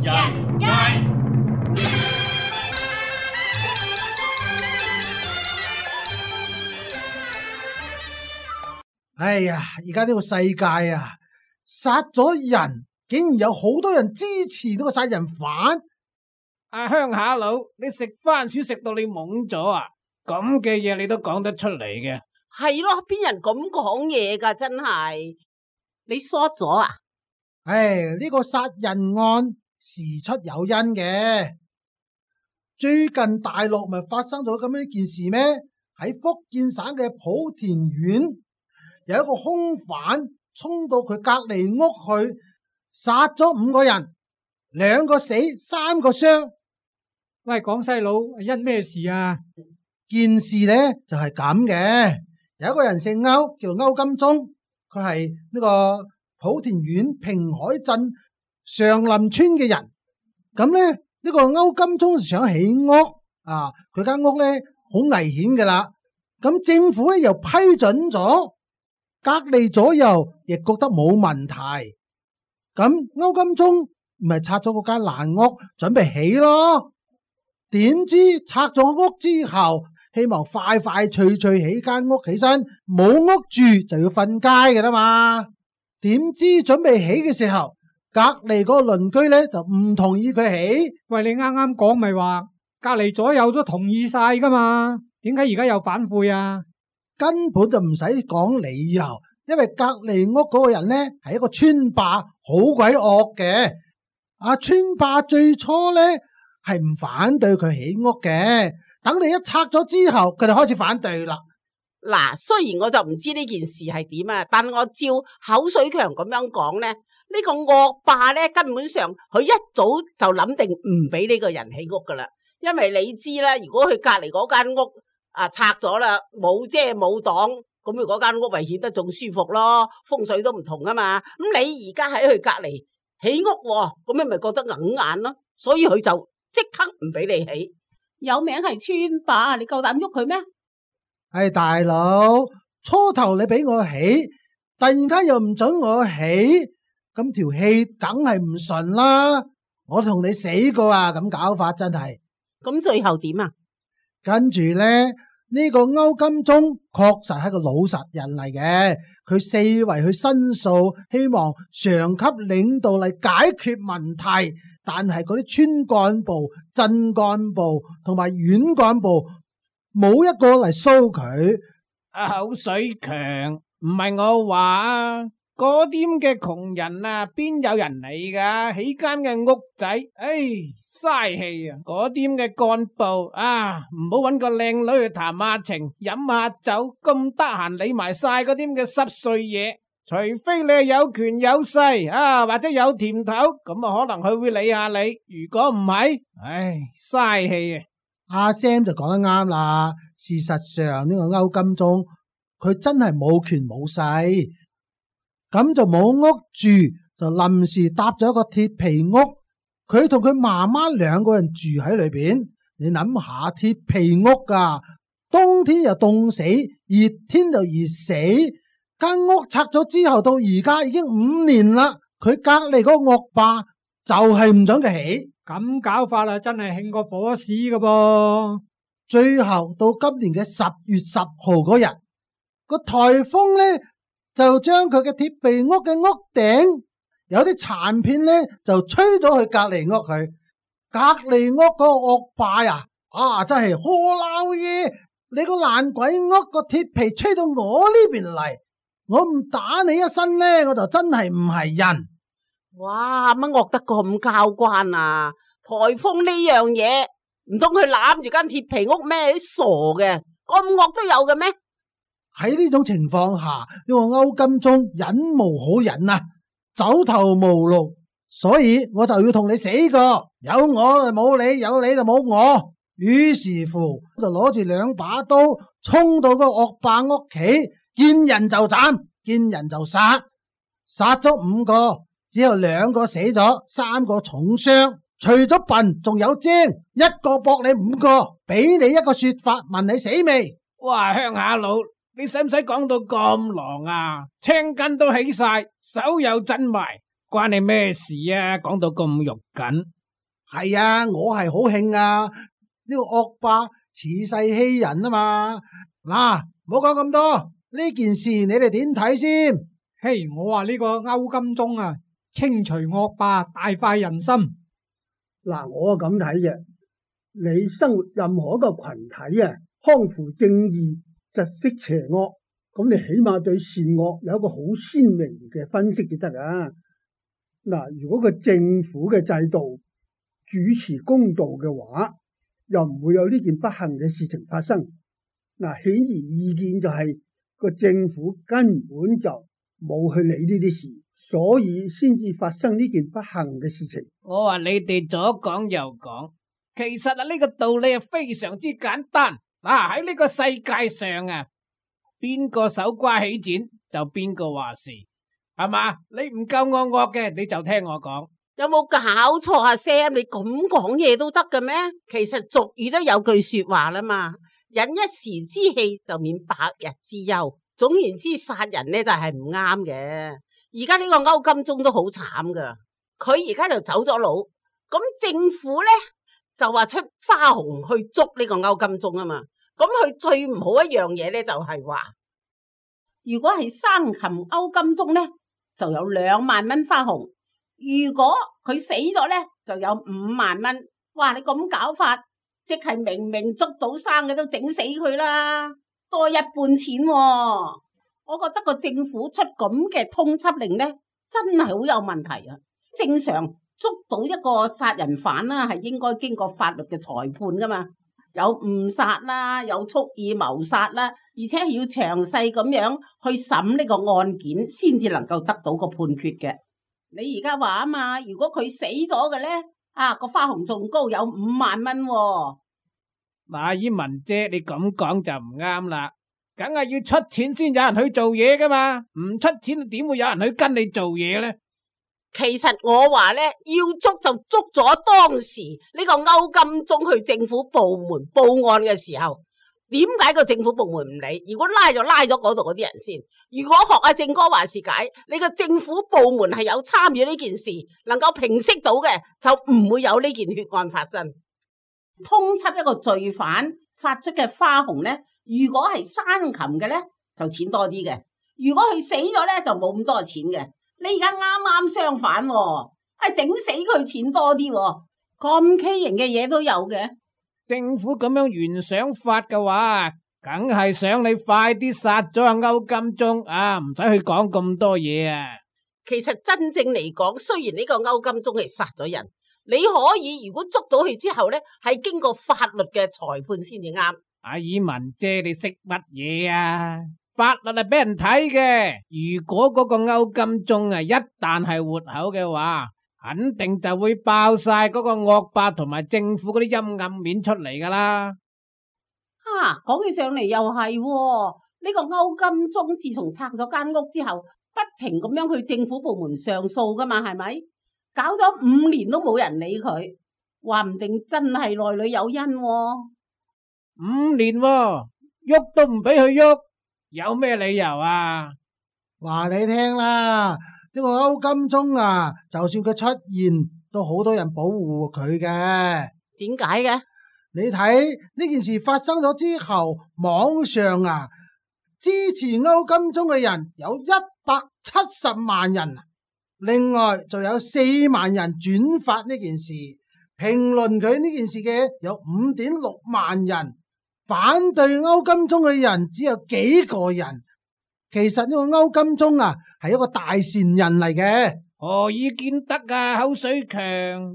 人街。哎呀，而家呢個世界啊，殺咗人，竟然有好多人支持呢個殺人犯。阿鄉下佬，你食番薯食到你懵咗啊？咁嘅嘢你都講得出嚟嘅？係咯，邊人咁講嘢噶？真係你short咗啊？呢個殺人案事出有因嘅。最近大陸咪發生咗咁樣一件事咩？喺福建省嘅莆田縣，有一個兇犯衝到佢隔籬屋去，殺咗5個人，2個死，3個傷。喂，廣西佬，因咩事啊？件事呢就係咁嘅，有一個人姓歐，叫歐金忠，佢係呢個莆田縣平海鎮上林村嘅人。咁呢，呢個歐金忠想起屋啊，佢間屋呢好危險噶啦。咁政府呢又批准咗，隔離左右亦覺得冇問題。咁歐金忠咪拆咗嗰間爛屋，準備起咯。點知拆咗屋之後，希望快快脆脆起間屋起身，冇屋住就要瞓街嘅啦嘛。點知準備起嘅時候，隔籬嗰個鄰居咧就唔同意佢起。喂，你啱啱講咪話隔籬左右都同意晒噶嘛？點解而家又反悔啊？根本就唔使講理由，因為隔籬屋嗰個人咧係一個村霸，好鬼惡嘅。村霸最初咧係唔反對佢起屋嘅，等你一拆咗之後，佢就開始反對啦。嗱，雖然我就唔知呢件事係點啊，但我照口水強咁樣講咧，呢個惡霸咧根本上佢一早就諗定唔俾呢個人起屋噶啦，因為你知啦，如果佢隔籬嗰間屋拆咗啦，冇遮冇擋，咁佢嗰間屋咪顯得仲舒服咯，風水都唔同啊嘛。咁你而家喺佢隔籬起屋，咁你咪覺得硬眼咯，所以佢就即刻唔俾你起。有名係村霸，你夠膽喐佢咩？大佬，初頭你俾我起，突然間又唔准我起，咁條氣梗係唔順啦。我同你死過啊，咁搞法真係。咁最後點啊？跟住咧，呢個歐金忠確實係個老實人嚟嘅，佢四圍去申訴，希望上級領導嚟解決問題，但係嗰啲村幹部、鎮幹部同埋縣幹部冇一個嚟騷佢。口水強，唔係我話啊，嗰啲咁嘅窮人啊，邊有人嚟噶？起間嘅屋仔，嘥氣啊！嗰啲咁嘅幹部啊，唔好搵個靚女去談下情、飲下酒，咁得閒理埋晒嗰啲咁嘅濕碎嘢。除非你係有權有勢啊，或者有甜頭，咁啊可能佢會理下你。如果唔係，嘥氣啊！阿 Sam 就講得啱啦。事實上呢個歐金忠佢真係冇權冇勢，咁就冇屋住，就臨時搭咗一個鐵皮屋。佢同佢媽媽2個人住喺裏邊。你諗下，鐵皮屋噶，冬天又凍死，熱天就熱死。間屋拆咗之後，到而家已經5年啦。佢隔籬嗰個惡霸就係唔准佢起。咁搞法啦，真係興過火屎噶噃。最後到今年嘅10月10號嗰日，個颱風呢就將佢嘅鐵皮屋嘅屋頂有啲殘片呢就吹咗去隔籬屋去。隔籬屋嗰個惡霸呀，真係呵撈嘢！你個爛鬼屋個鐵皮吹到我呢邊嚟，我唔打你一身呢，我就真係唔係人。哇，乜惡得咁交關啊？颱風呢樣嘢，唔通佢攬住間鐵皮屋咩？傻嘅，咁惡都有嘅咩？喺呢種情況下，呢個歐金忠忍無可忍啊，走投無路，所以我就要同你死過，有我就冇你，有你就冇我。於是乎就攞住2把刀衝到個惡霸屋企，見人就斬，見人就殺，殺咗5個，只有2個死咗，3個重傷。除咗笨，仲有精，一個搏你5個，俾你一個說法，問你死未？哇，鄉下佬，你使唔使講到咁狼啊？青筋都起晒，手又震埋，關你咩事啊？講到咁肉緊。係啊，我係好興啊！呢個惡霸恃勢欺人啊嘛！嗱，唔好講咁多，呢件事你哋點睇先？嘿，我話呢個歐金鐘啊，清除惡霸，大快人心。嗱，我咁睇嘅，你生活任何一個群體啊，匡扶正義，窒息邪惡，咁你起碼對善惡有一個好鮮明嘅分析就得啊！嗱，如果個政府嘅制度主持公道嘅話，又唔會有呢件不幸嘅事情發生。嗱，顯而易見就係個政府根本就冇去理呢啲事，所以先至發生呢件不幸嘅事情。我話你哋左講右講，其實啊呢個道理係非常之簡單。嗱，喺呢個世界上啊，邊個手瓜起剪就邊個話事，係嘛？你唔夠我惡嘅，你就聽我講。有冇搞錯啊 Sam？ 你咁講嘢都得嘅咩？其實俗語都有句說話啦嘛，忍一時之氣就免百日之憂。總言之，殺人呢就係唔啱嘅。而家呢個歐金鐘都好慘噶，佢而家就走咗佬，咁政府呢就話出花紅去捉呢個歐金鐘啊嘛。咁佢最唔好一樣嘢呢就係話，如果係生擒歐金鐘呢，就有2萬蚊花紅。如果佢死咗呢，就有5萬蚊。哇！你咁搞法，即係明明捉到生嘅都整死佢啦，多一半錢喎。我覺得個政府出咁嘅通緝令呢，真係好有問題啊！正常捉到一個殺人犯啦，係應該經過法律嘅裁判噶嘛，有誤殺啦，有蓄意謀殺啦，而且係要詳細咁樣去審呢個案件，先至能夠得到個判決嘅。你而家話啊嘛，如果佢死咗嘅呢，個花紅仲高，有5萬蚊喎。嗱，以文姐你咁講就唔啱啦，梗係要出錢先有人去做嘢噶嘛，唔出錢點會有人去跟你做嘢呢？其實我話呢，要捉就捉咗當時呢個歐金鐘去政府部門報案嘅時候。點解個政府部門唔理？如果拉就拉咗嗰度嗰啲人先。如果學阿正哥話事解，你個政府部門係有參與呢件事，能夠平息到嘅，就唔會有呢件血案發生。通緝一個罪犯發出嘅花紅呢，如果係生擒嘅呢，就錢多啲嘅；如果佢死咗呢，就冇咁多錢嘅。你而家啱啱相反喎，係整死佢錢多啲喎，咁畸形嘅嘢都有嘅。政府咁樣原想法嘅話，梗係想你快啲殺咗阿歐金鐘啊，唔使去講咁多嘢啊。其實真正嚟講，雖然呢個歐金鐘係殺咗人，你可以如果捉到佢之後呢，係經過法律嘅裁判先至啱。阿爾文姐，你識乜嘢啊？法律係俾人睇嘅，如果嗰個歐金鐘啊一旦係活口嘅話，肯定就會爆晒嗰個惡霸同埋政府嗰啲陰暗面出嚟噶啦。講起上嚟又係喎，呢個歐金鐘自從拆咗間屋之後，不停咁樣去政府部門上訴噶嘛，係咪？搞咗5年都冇人理佢，話唔定真係內裏有因喎。5年喎，喐都唔俾佢喐，有咩理由啊？話你聽啦。呢個歐金鐘啊，就算佢出現，都好多人保護佢嘅。點解嘅？你睇呢件事發生咗之後，網上啊支持歐金鐘嘅人有170萬人，另外就有4萬人轉發呢件事，評論佢呢件事嘅有5.6萬人，反對歐金鐘嘅人只有幾個人。其實呢個歐金鐘啊係一個大善人嚟嘅。何以見得啊？口水強，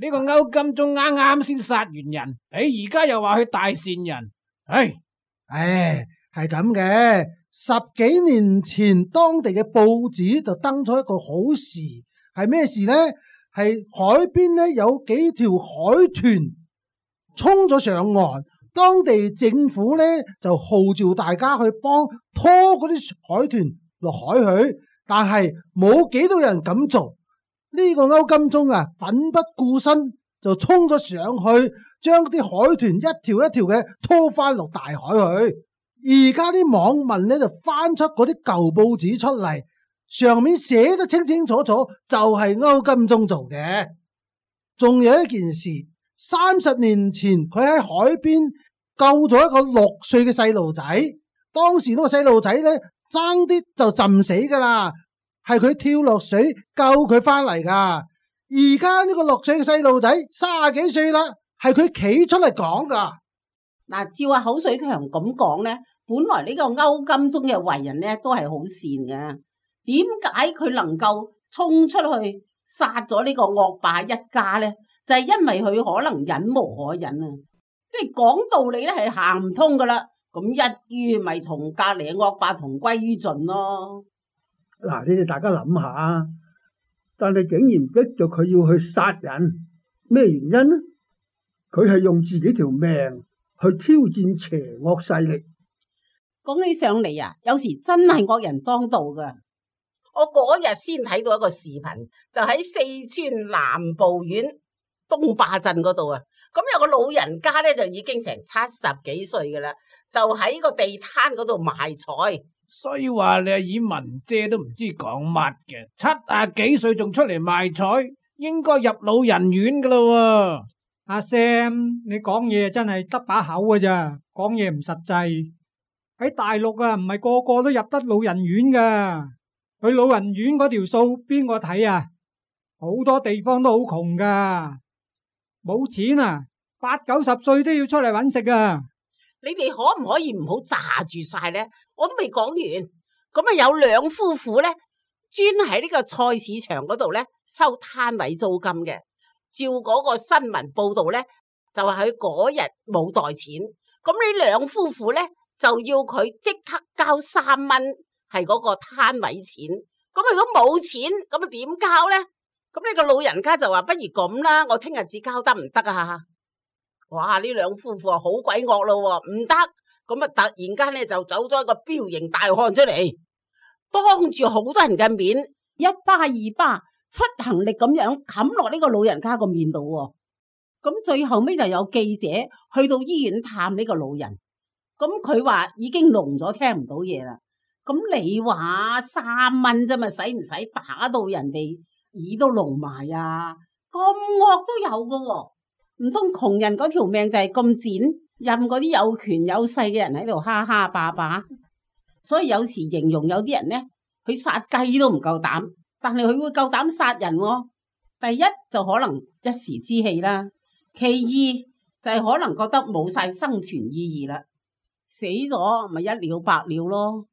呢個歐金鐘啱啱先殺完人，而家又話佢大善人，係咁嘅。10幾年前，當地嘅報紙就登咗一個好事，係咩事呢？係海邊呢有幾條海豚衝咗上岸，當地政府呢就號召大家去幫拖嗰啲海豚落海去，但係冇幾多人咁做。呢個歐金鐘啊，奮不顧身就衝咗上去，將啲海豚一條一條嘅拖翻落大海去。而家啲網民呢就翻出嗰啲舊報紙出嚟，上面寫得清清楚楚，就係歐金忠做嘅。仲有一件事，30年前佢喺海邊救咗一個6歲嘅細路仔，當時呢個細路仔呢，爭啲就浸死噶啦，係佢跳落水救佢翻嚟噶。而家呢個6歲嘅細路仔30幾歲啦，係佢企出嚟講噶。嗱，照阿口水強咁講呢，本來呢個歐金忠嘅為人呢都係好善嘅，點解佢能夠衝出去殺咗呢個惡霸一家呢？就係因為佢可能忍無可忍啊！即係講道理咧係行唔通噶啦，咁一於咪同隔籬嘅惡霸同歸於盡咯。嗱，你哋大家諗下，但係竟然逼咗佢要去殺人，咩原因呢？佢係用自己條命去挑戰邪惡勢力。講起上嚟啊，有時真係惡人當道噶。我嗰日先睇到一個視頻，就喺四川南部縣東壩鎮嗰度啊。咁有個老人家咧，就已經成70幾歲噶啦，就喺個地攤嗰度賣菜。所以話你阿爾文姐都唔知講乜嘅，70幾歲仲出嚟賣菜，應該入老人院噶啦。阿 Sam，你講嘢真係得把口噶咋，講嘢唔實際。喺大陸啊，唔係個個都入得老人院噶。去老人院嗰條數邊個睇啊？好多地方都好窮噶，冇錢啊，80、90歲都要出嚟搵食啊！你哋可唔可以唔好炸住晒呢？我都未講完。咁啊，有兩夫婦呢，專喺呢個菜市場嗰度呢收攤位租金嘅。照嗰個新聞報道呢，就話佢嗰日冇袋錢，咁呢兩夫婦呢，就要佢即刻交3蚊，係嗰個攤位錢。咁如果冇錢，咁啊點交呢？咁呢個老人家就話不如咁啦，我聽日至交得唔得啊？哇！呢兩夫婦啊好鬼惡咯，唔得。咁啊突然間呢，就走咗一個彪形大漢出嚟，當住好多人嘅面，一巴二巴出行力咁樣冚落呢個老人家個面度。咁最後尾就有記者去到醫院探呢個老人，咁佢話已經聾咗，聽唔到嘢啦。咁你話3蚊啫嘛，使唔使打到人哋耳都聾埋啊？咁惡都有噶喎，唔通窮人嗰條命就係咁賤，任嗰啲有權有勢嘅人喺度哈哈霸霸？所以有時形容有啲人呢，佢殺雞都唔夠膽，但係佢會夠膽殺人喎。第一就可能一時之氣啦，其二就係可能覺得冇晒生存意義啦，死咗咪一了百了咯。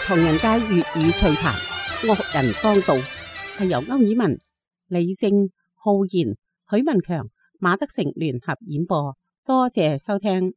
唐人街粵語趣談，惡人當道，係由歐爾文、李正、浩然、許文強、馬德成聯合演播，多謝收聽。